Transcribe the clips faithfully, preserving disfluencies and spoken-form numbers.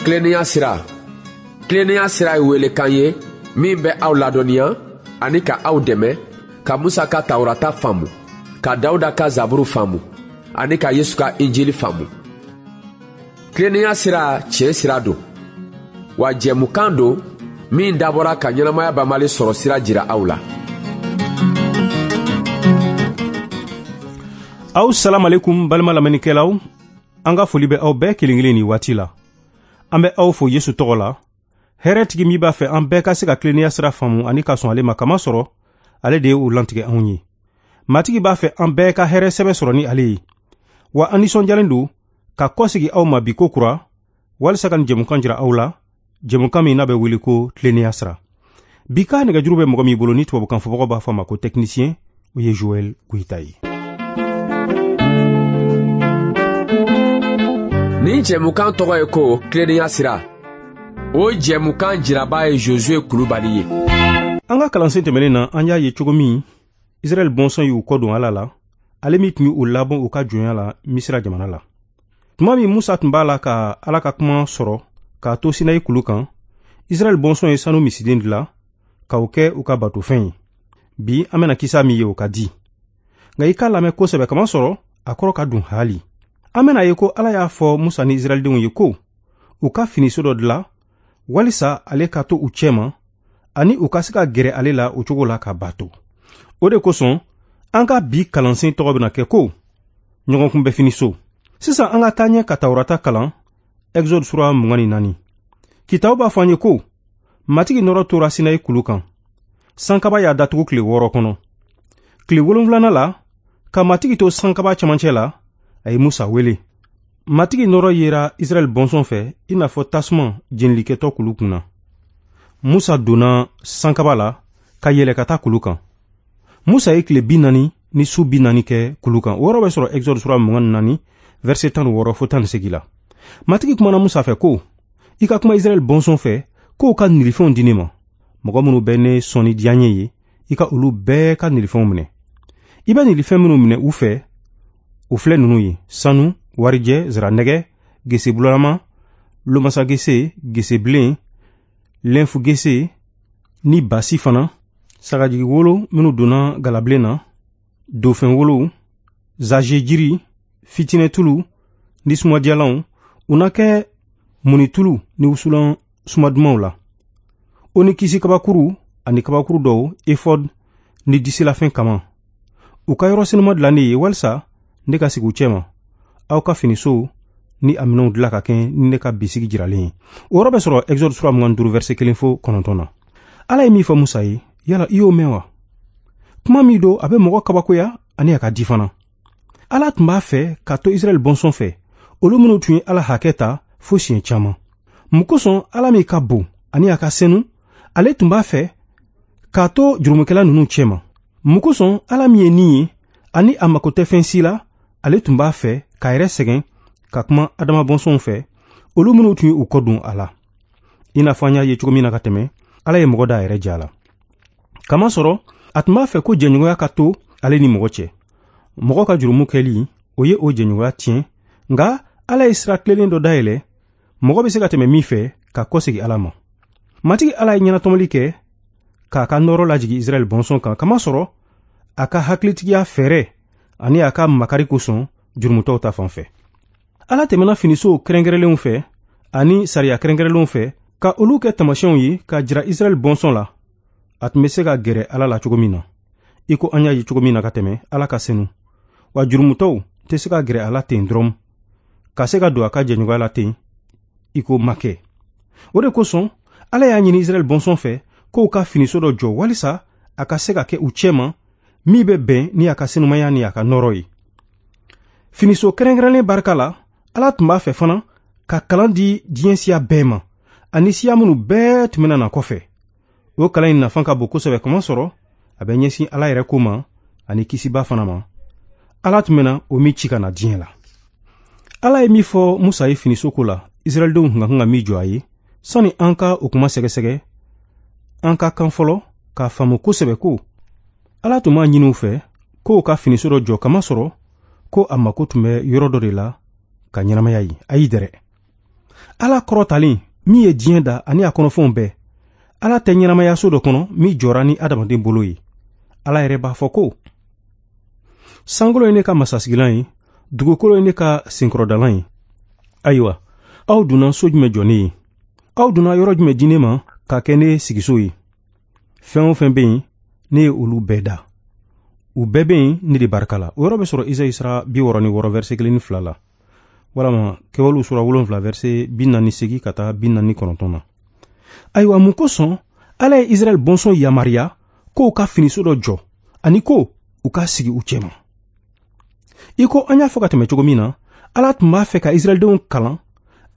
Tilennenya sira. Tilennenya sira ye welekan ye min bɛ aw ladɔnniya ani ka aw dɛmɛ ka Musa ka Tawurata faamu, ka Dawuda ka Zaburu faamu ani ka Yesu ka Injili faamu. Tilennenya sira tiɲɛ sira don, wa jɛmukan don min dabɔra ka ɲɛnamaya banbali sɔrɔ sira jira aw la. Aw salam alaikum balima lamɛnnikɛlaw, an ka foli bɛ aw bɛɛ kelen kelen nin waati la. An bɛ aw fo Yesu tɔgɔ la. Hɛrɛtigi min b'a fɛ an bɛɛ ka se ka tilennenya sira faamu ani ka sɔn ale ma, kama sɔrɔ ale de ye o lantigɛ anw ye. Matigi b'a fɛ an bɛɛ ka hɛrɛ sɛbɛ sɔrɔ ni ale ye. Wa an nisɔndiyalen don ka kɔsegi aw ma bi ko kura walisa ka nin jɛmukan jira aw la, jɛmukan min n'a bɛ wele ko tilennenya sira. Bi ka nɛgɛjuru bɛ mɔgɔ min bolo ni tubabukan fɔbagaw b'a fɔ a ma ko technicien, o ye Joël Goïta ye. Nin jɛmukan tɔgɔ ye ko tilennenya sira. O jɛmukan jiraba ye Josué Kulubali ye. An ka kalansen tɛmɛnen na, an y'a ye cogo min Israɛl bɔnsɔn y'u kɔ don Ala la, ale min tun y'u labɔ u ka jɔnya la Misira jamana la. Tuma min Musa tun b'a la ka Ala ka kuma sɔrɔ k'a to Sinayi kulu kan, Israɛl bɔnsɔn ye sanu misiden dilan k'o kɛ u ka batofɛn ye. Bi an bɛna kisa min ye o ka di. Nka i k'a lamɛn kosɛbɛ, kama sɔrɔ a kɔrɔ ka dun haali. An bɛna ye ko Ala y'a fɔ Musa ni Israɛldenw ye ko u ka finiso dɔ dilan walisa ale ka to u cɛma ani u ka se ka gɛrɛ ale la o cogo la ka bato. O de kosɔn an ka bi kalansen tɔgɔ bɛna kɛ ko ɲɔgɔnkunbɛ finiso. Sisan an ka taa ɲɛ ka Tawurata kalan, Exode sura mugan ni naani. Kitabu b'a fɔ an ye ko Matigi nɔrɔ tora Sinayi kulu kan. Sankaba y'a datugu tile wɔɔrɔ kɔnɔ. Tile wolonwulanan la, ka Matigi to sankaba cɛmancɛ la, a ye Musa wele. Matigi nɔrɔ yera Israɛl bɔnsɔn fɛ i n'a fɔ tasuma jenilikɛtɔ kulu kunna. Musa donna sankaba la ka yɛlɛ ka taa kulu kan. Musa ye tile bi naani ni su bi naani kɛ kulu kan. O yɔrɔ bɛ sɔrɔ Exode sura mugan ni naani, verset tan ni wɔɔrɔ fo tan ni seegin la. Matigi kumana Musa fɛ ko, i ka kuma Israɛl bɔnsɔn fɛ k'o ka nilifɛnw di ne ma. Mɔgɔ minnu bɛ ne sɔn ni diyaɲɛ ye, i ka olu bɛɛ ka nilifɛnw minɛ. I bɛ nilifɛn minnu minɛ u fɛ, o filɛ ninnu ye: sanu, warijɛ, ziranɛgɛ, gese bulama, lomasa gese, gese bilen, lɛnfu gese ni basi fana, sagajigi wolo minnu donna galabilen na, dofɛn wolow, zaze jiri, fitinɛtulu ni sumadiyalanw, u na kɛ munitulu ni wusulan sumadumanw la. O ni kisi kabakuru ani kabakuru dɔw, efɔd ni disilafɛn kama. U ka yɔrɔ senuma dilan ne ye walisa ne ka sigi u cɛma. Aw ka finisow ni a minɛnw dilan ka kɛ ni ne ka bisigi jiralen ye. O yɔrɔ bɛ sɔrɔ Exode sura mugan ni duuru, verset kelen fo kɔnɔntɔn na. Ala ye min fɔ Musa ye, yala i y'o mɛn wa? Kuma min don, a bɛ mɔgɔ kabakoya ani a ka di fana. Ala tun b'a fɛ ka to Israɛl bɔnsɔn fɛ, olu minnu tun ye Ala hakɛ ta fo siɲɛ caman. Mun kosɔn Ala min ka bon ani a ka senu, ale tun b'a fɛ k'a to jurumukɛla ninnu cɛma. Mun kosɔn Ala min ye nin ye ani a mako tɛ fɛn si la, ale tun b'a fɛ k'a yɛrɛ sɛgɛn ka kuma Adama bɔnsɔnw fɛ, olu minnu tun ye u kɔ don a la. I n'a fɔ an y'a ye cogo min na ka tɛmɛ, Ala ye mɔgɔ da a yɛrɛ ja la. Kamasɔrɔ a tun b'a fɛ ko jɛɲɔgɔnya ka to ale ni mɔgɔ cɛ. Mɔgɔ ka jurumu kɛli, o ye o jɛɲɔgɔnya tiɲɛ, nka Ala ye sira tilennen dɔ dayɛlɛ, mɔgɔ bɛ se ka tɛmɛ min fɛ ka kɔsegi Ala ma. Matigi Ala ye ɲɛnatɔmɔli kɛ k'a ka nɔrɔ lajigin Israɛl bɔnsɔn kan, kamasɔrɔ a ka hakilitigiya fɛɛrɛ ani a ka makari kosɔn jurumutɔw ta fan fɛ. Ala tɛmɛna finisow kɛrɛnkɛrɛnlenw fɛ ani sariya kɛrɛnkɛrɛnlenw fɛ ka olu kɛ taamasiyɛnw ye k'a jira Israɛl bɔnsɔn la a tun bɛ se ka gɛrɛ Ala la cogo min na. I ko an y'a ye cogo min na ka tɛmɛ, Ala ka senu, wa jurumutɔw tɛ se ka gɛrɛ a la ten dɔrɔn, ka se ka don a ka jɛɲɔgɔnya la ten i ko ma kɛ. O de kosɔn Ala y'a ɲini Israɛl bɔnsɔn fɛ k'o ka finiso dɔ jɔ walisa a ka se ka kɛ u cɛma min bɛ bɛn ni a ka senumaya ni a ka nɔrɔ ye. Finiso kɛrɛnkɛrɛnlen barika la, Ala tun b'a fɛ fana ka kalan di diɲɛ siya bɛɛ ma ani siya minnu bɛɛ tun bɛna na kɔfɛ. O kalan in nafa ka bon kosɛbɛ, kamasɔrɔ a bɛ ɲɛsin Ala yɛrɛ ko ma ani kisiba fana ma. Ala tun bɛna o min ci ka na diɲɛ la. Ala ye min fɔ Musa ye finiso ko la, Israɛldenw tun ka kan ka min jɔ a ye, sani an ka o kuma sɛgɛsɛgɛ, an ka kan fɔlɔ k'a faamu kosɛbɛ ko Ala tun b'a ɲini u fɛ k'o ka finiso dɔ jɔ, kamasɔrɔ ko a mako tun bɛ yɔrɔ dɔ de la ka ɲɛnamaya ye. Ayi dɛrɛ, Ala kɔrɔtalen min ye diɲɛ da ani a kɔnɔfɛnw bɛɛ, Ala tɛ ɲɛnamaya so dɔ kɔnɔ min jɔra ni adamaden bolo ye. Ala yɛrɛ b'a fɔ ko sankolo ye ne ka masasigilan ye, dugukolo ye ne ka senkɔrɔdalan ye. Ayiwa, aw donna so jumɛn jɔ ne ye? Aw donna yɔrɔ jumɛn di ne ma ka kɛ ne sigiso ye? Fɛn o fɛn bɛ yen, ne ye olu bɛɛ da. U bɛɛ bɛ yen ne de barika la. O yɔrɔ bɛ sɔrɔ Izayi sura bi wɔɔrɔ ni wɔɔrɔ verset kelen ni fila la, walama Kɛwalew sura wolonfila verset bi naani seegin ka taa bi naani kɔnɔntɔn na. Ayiwa, mun kosɔn Ala ye Israɛl bɔnsɔn yamaruya k'o ka finiso dɔ jɔ ani ko u ka sigi u cɛma? I ko an y'a fɔ ka tɛmɛ cogo min na, Ala tun b'a fɛ ka Israɛldenw kalan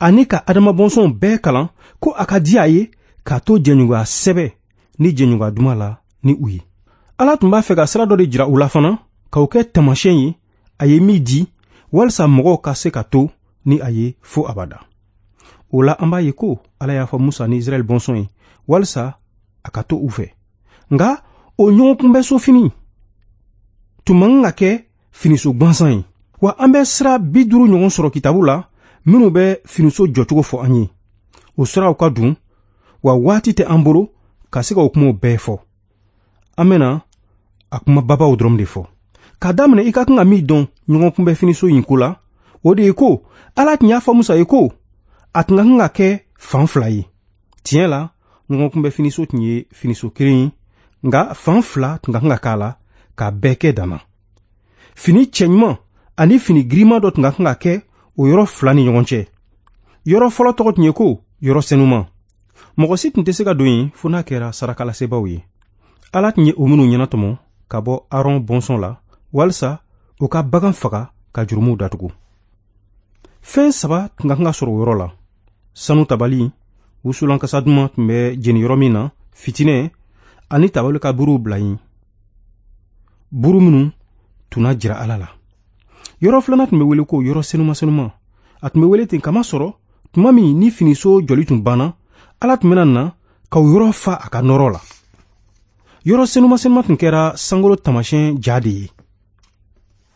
ani ka Adama bɔnsɔnw bɛɛ kalan ko a ka di a ye k'a to jɛɲɔgɔnya sɛbɛ ni jɛɲɔgɔnya duman la ni u ye. Ala tun b'a fɛ ka sira dɔ de jira u la fana, k'o kɛ taamasiyɛn ye a ye min di walisa mɔgɔw ka se ka to ni a ye fo abada. O la, an b'a ye ko Ala y'a fɔ Musa ni Israɛl bɔnsɔn ye walisa a ka to u fɛ. Nka o ɲɔgɔnkunbɛso fini tun man kan ka kɛ finiso gansan ye. Wa an bɛ sira bi duuru ɲɔgɔn sɔrɔ kitabu la minnu bɛ finiso jɔcogo fɔ an ye. O siraw ka dun, wa waati tɛ an bolo ka se ka o kumaw bɛɛ fɔ. An bɛna a kuma babaw dɔrɔn de fɔ. K'a daminɛ, i ka kan ka min dɔn ɲɔgɔnkunbɛ finiso in ko la, o de ye ko Ala tun y'a fɔ Musa ye ko a tun ka kan ka kɛ fan fila ye. Tiɲɛ la, ɲɔgɔnkunbɛ finiso tun ye finiso kelen ye, nka fan fila tun ka kan ka k'a la k'a bɛɛ kɛ danna. Fini cɛɲuman ani fini girinman dɔ tun ka kan ka kɛ o yɔrɔ fila ni ɲɔgɔn cɛ. Yɔrɔ fɔlɔ tɔgɔ tun ye ko yɔrɔ senuman. Mɔgɔ si tun tɛ se ka don yen fo n'a kɛra sarakalasebaaw ye. Ala tun ye o minnu ɲɛnatɔmɔ ka bɔ Aron bɔnsɔn la walisa u ka bagan faga ka jurumuw datugu. Fɛn saba tun ka kan ka sɔrɔ o yɔrɔ la: sanu tabali, wusulan kasa duman tun bɛ jeni yɔrɔ min na, fitinɛ, ani tabali ka buruw bila yen, buru minnu tun na jira Ala la. Yɔrɔ filanan tun bɛ wele ko yɔrɔ senuma senuma. A tun bɛ wele ten kamasɔrɔ tuma min ni finiso jɔli tun banna, Ala tun bɛna na ka o yɔrɔ fa a ka nɔrɔ la. Yɔrɔ senuma senuma tun kɛra sankolo taamasiyɛn ja de ye.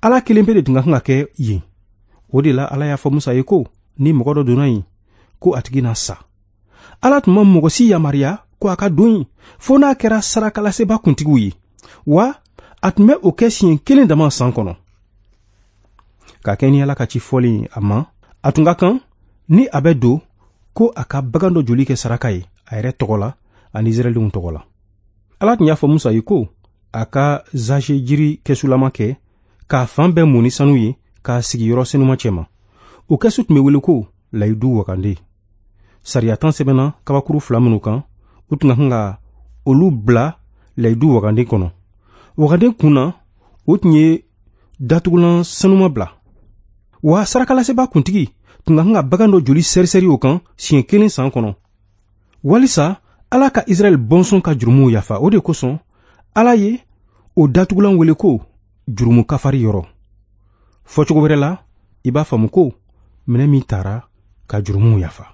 Ala kelen pe de tun ka kan ka kɛ yen. O de la, Ala y'a fɔ Musa ye ko ni mɔgɔ dɔ donna yen, ko a tigi na sa. Ala tun ma mɔgɔ si yamaruya ko a ka don yen fo n'a kɛra sarakalaseba kuntigiw ye, wa a tun bɛ o kɛ siɲɛ kelen dama san kɔnɔ. Ka kɛ ni Ala ka ci fɔlen a ma, a tun ka kan ni a bɛ don ko a ka bagan dɔ joli kɛ saraka ye a yɛrɛ tɔgɔ la ani Israɛldenw tɔgɔ la. Ala tun y'a fɔ Musa ye ko a ka zaze jiri kɛsulama kɛ k'a fan bɛɛ mun ni sanu ye k'a sigi yɔrɔ senuma cɛma. O kɛsu tun bɛ wele ko layidu wagande. Sariya tan sɛbɛnna kabakuru fila minnu kan, u tun ka kan ka olu bila layidu wagande kɔnɔ. Wagande kun na, o tun ye datugulan sanuma bila. Wa sarakalaseba kuntigi tun ka kan ka bagan dɔ joli sɛrisɛri o kan siɲɛ kelen san kɔnɔ, walisa Ala ka Israɛl bɔnsɔn ka jurumuw yafa. O de kosɔn Ala ye o datugulan wele ko jurumu kafari yɔrɔ. Fɔcogo wɛrɛ la, i b'a faamu ko minɛ min taara ka jurumuw yafa.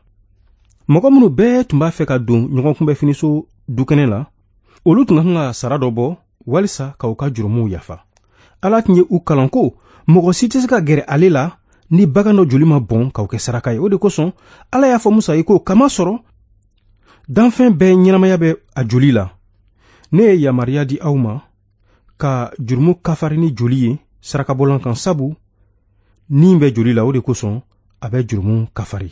Mɔgɔ minnu bɛɛ tun b'a fɛ ka don ɲɔgɔnkunbɛ finiso dukɛnɛ la, olu tun ka kan ka sara dɔ bɔ walisa ka u ka jurumuw yafa. Ala tun ye u kalan ko mɔgɔ si tɛ se ka gɛrɛ ale la ni bagan dɔ joli ma bɔn k'o kɛ saraka ye. O de kosɔn Ala y'a fɔ Musa ye ko kamasɔrɔ danfɛn bɛɛ ɲɛnamaya bɛ a joli la, ne ye yamaruya di aw ma ka jurumu kafari ni joli ye sarakabɔlan kan, sabu ni bɛ joli la, o de kosɔn a bɛ jurumu kafari.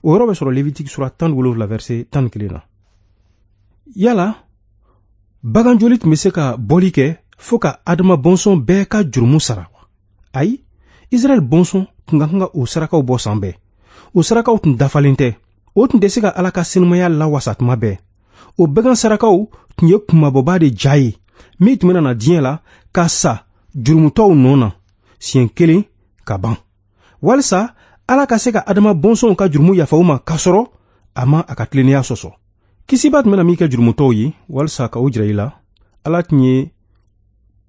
O yɔrɔ bɛ sɔrɔ Levitiki sura tan ni wolonwula verset tan ni kelen na. Yala bagan joli tun bɛ se ka bɔli kɛ fo ka Adama bɔnsɔn bɛɛ ka jurumu sara wa? Ayi, Israɛl bɔnsɔn tun ka kan ka o sarakaw bɔ san bɛɛ. O sarakaw tun dafalen tɛ. O tun tɛ se ka Ala ka senumaya lawasa tuma bɛɛ. O bagan sarakaw tun ye kunmabɔba de ja ye min tun bɛna na diɲɛ la ka sa jurumutɔw nɔ na siɲɛ kelen ka ban, walisa Ala ka se ka Adama bɔnsɔnw ka jurumu yafa u ma k'a sɔrɔ a ma a ka tilennenya sɔsɔ. Kisiba tun bɛna min kɛ jurumutɔw ye walisa ka o jira i la, Ala tun ye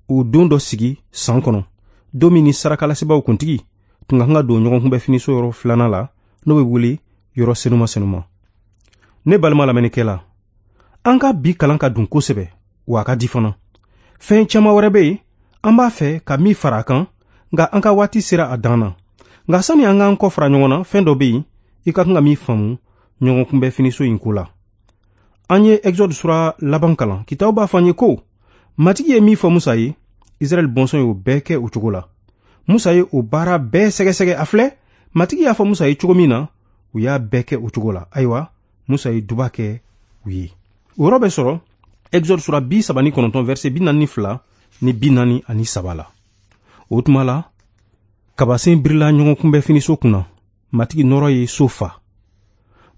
o don dɔ sigi san kɔnɔ, don min ni sarakalasebaaw kuntigi tun ka kan ka don ɲɔgɔnkunbɛ finiso yɔrɔ filanan la, n'o bɛ wele yɔrɔ senuma senuma. Ne balima lamɛnnikɛla, an ka bi kalan ka dun kosɛbɛ, wa a ka di fana. Fɛn caman wɛrɛ bɛ yen an b'a fɛ ka min fara a kan, nka an ka waati sera a dan na. Nka sani an k'an kɔ fara ɲɔgɔn na, fɛn dɔ bɛ yen i ka kan ka min faamu ɲɔgɔn kunbɛ finiso in ko la. An ye Exode sura laban kalan. Kitabu b'a fɔ an ye ko Matigi ye min fɔ Musa ye, Israɛl bɔnsɔn y'o bɛɛ kɛ o cogo la. Musa ye o baara bɛɛ sɛgɛsɛgɛ. A filɛ, Matigi y'a fɔ Musa ye cogo min na, u y'a bɛɛ kɛ o cogo la. Ayiwa, Musa ye duba kɛ u ye. O yɔrɔ bɛ sɔrɔ Exode sura bi saba ni kɔnɔntɔn verset bi naani ni fila ni bi naani ani saba la. O tuma la, kabasen birila ɲɔgɔn kunbɛ finiso kunna. Matigi nɔrɔ ye so fa.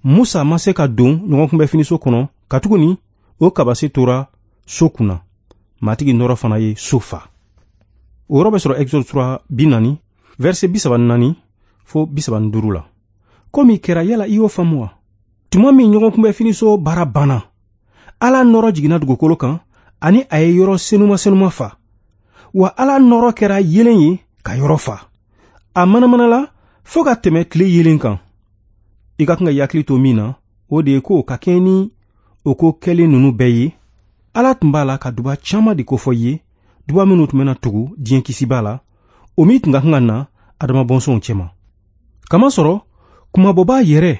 Musa ma se ka don ɲɔgɔn kunbɛ finiso kɔnɔ, katuguni o kabase tora so kunna. Matigi nɔrɔ fana ye so fa. O yɔrɔ bɛ sɔrɔ Exode sura bi naani verset bi saba ni naani fo bi saba ni duuru la. Ko min kɛra, yala i y'o faamu wa? Tuma min ɲɔgɔn kunbɛ finiso baara banna, Ala nɔrɔ jiginna dugukolo kan ani a ye yɔrɔ senuma senuma fa. Wa Ala nɔrɔ kɛra yelen ye ka yɔrɔ fa. A manamanala fo ka tɛmɛ tile yelen kan. I ka kan ka i hakili to min na, o de ye ko ka kɛɲɛ ni o ko kɛlen ninnu bɛɛ ye, Ala tun b'a la ka duba caman de kofɔ i ye, duba minnu tun bɛna tugu diɲɛ kisiba la, o min tun ka kan ka na Adama bɔnsɔnw cɛma. Kamasɔrɔ kumabɔbaa yɛrɛ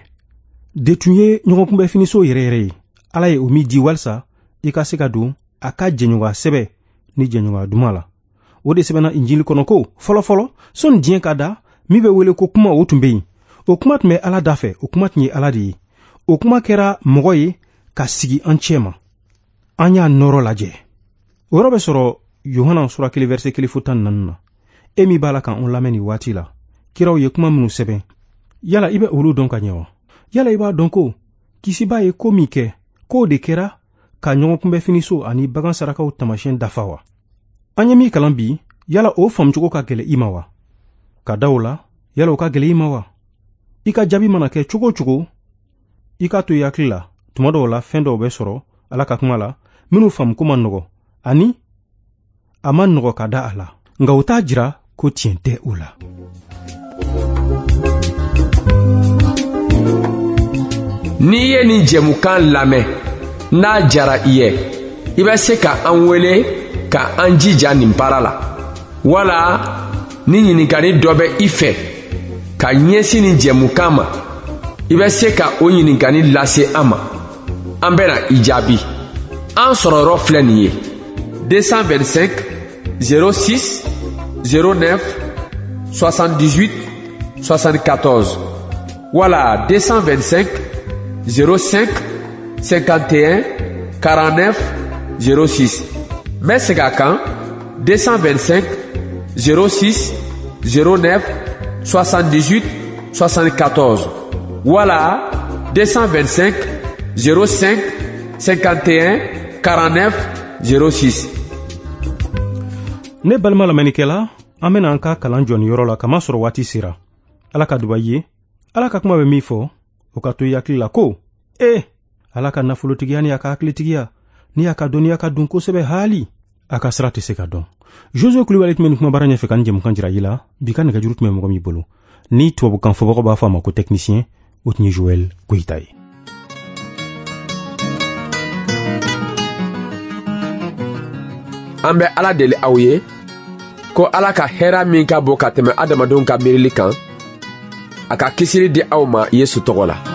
de tun ye ɲɔgɔn kunbɛ finiso yɛrɛ yɛrɛ ye. Ala ye o min di walisa i ka se ka don a ka jɛɲɔgɔnya sɛbɛ ni jɛɲɔgɔnya duman la. O de sɛbɛnna Injili kɔnɔ ko fɔlɔfɔlɔ sɔnni diɲɛ ka da, min bɛ wele ko kuma, o tun bɛ yen. O kuma tun bɛ Ala da fɛ, o kuma tun ye Ala de ye. O kuma kɛra mɔgɔ ye ka sigi an cɛ ma. An y'a nɔrɔ lajɛ. O yɔrɔ bɛ sɔrɔ Yohana sura kelen verset kelen fo tan ni naani na. E min b'a la k'an lamɛn nin waati la, kiraw ye kuma minnu sɛbɛn, yala i bɛ olu dɔn ka ɲɛ wa? Yala i b'a dɔn ko kisiba ye ko min kɛ, k'o de kɛra ka ɲɔgɔn kunbɛ finiso ani bagan sarakaw taamasiyɛn dafa wa? An ye min kalan bi, yala o faamucogo ka gɛlɛn i ma wa? Ka da o la, yala o ka gɛlɛn i ma wa? I ka jaabi mana kɛ cogo o cogo, i k'a to i hakili la, tuma dɔw la fɛn dɔw bɛ sɔrɔ Ala ka kuma la minnu faamuko man nɔgɔ ani a man nɔgɔ ka da a la, nka o t'a jira ko tiɲɛ tɛ o la. N'i ye nin jɛmukan lamɛn, n'a jara i ye, i bɛ se ka an wele ka an jija nin baara la, wala ni ɲininkali dɔ bɛ i fɛ ka ɲɛsin nin jɛmukan ma, i bɛ se ka o ɲininkali lase an ma. An bɛna i jaabi. An sɔrɔyɔrɔ filɛ nin ye: deux cent vingt-cinq zéro six zéro neuf soixante-dix-huit soixante-quatorze wala deux cent vingt-cinq zéro cinq cinquante et un quarante-neuf zéro six. N bɛ segin a kan: deux cent vingt-cinq zéro six zéro neuf soixante-dix-huit soixante-quatorze wala deux cent vingt-cinq zéro cinq cinquante et un quarante-neuf zéro six. Ne balima lamɛnnikɛla, an bɛna an ka kalan jɔ nin yɔrɔ la, kamasɔrɔ waati sera. Ala ka duba i ye. Ala ka kuma bɛ min fɔ, o ka to i hakili la ko ee, Ala ka nafolotigiya ni a ka hakilitigiya ni a ka dɔnniya ka dun kosɛbɛ, haali a ka sira tɛ se ka dɔn. Josue Kulibali tun bɛ nin kumabara ɲɛfɛ ka nin jɛmukan jira i la. Bi ka nɛgɛjuru tun bɛ mɔgɔ min bolo, ni tubabukan fɔbagaw b'a fɔ a ma ko technicien, o tun ye Joël Goyita ye. An bɛ Ala deli aw ye ko Ala ka hɛrɛ min ka bon ka tɛmɛ adamadenw ka miirili kan, a ka kisili di aw ma Yesu tɔgɔ la.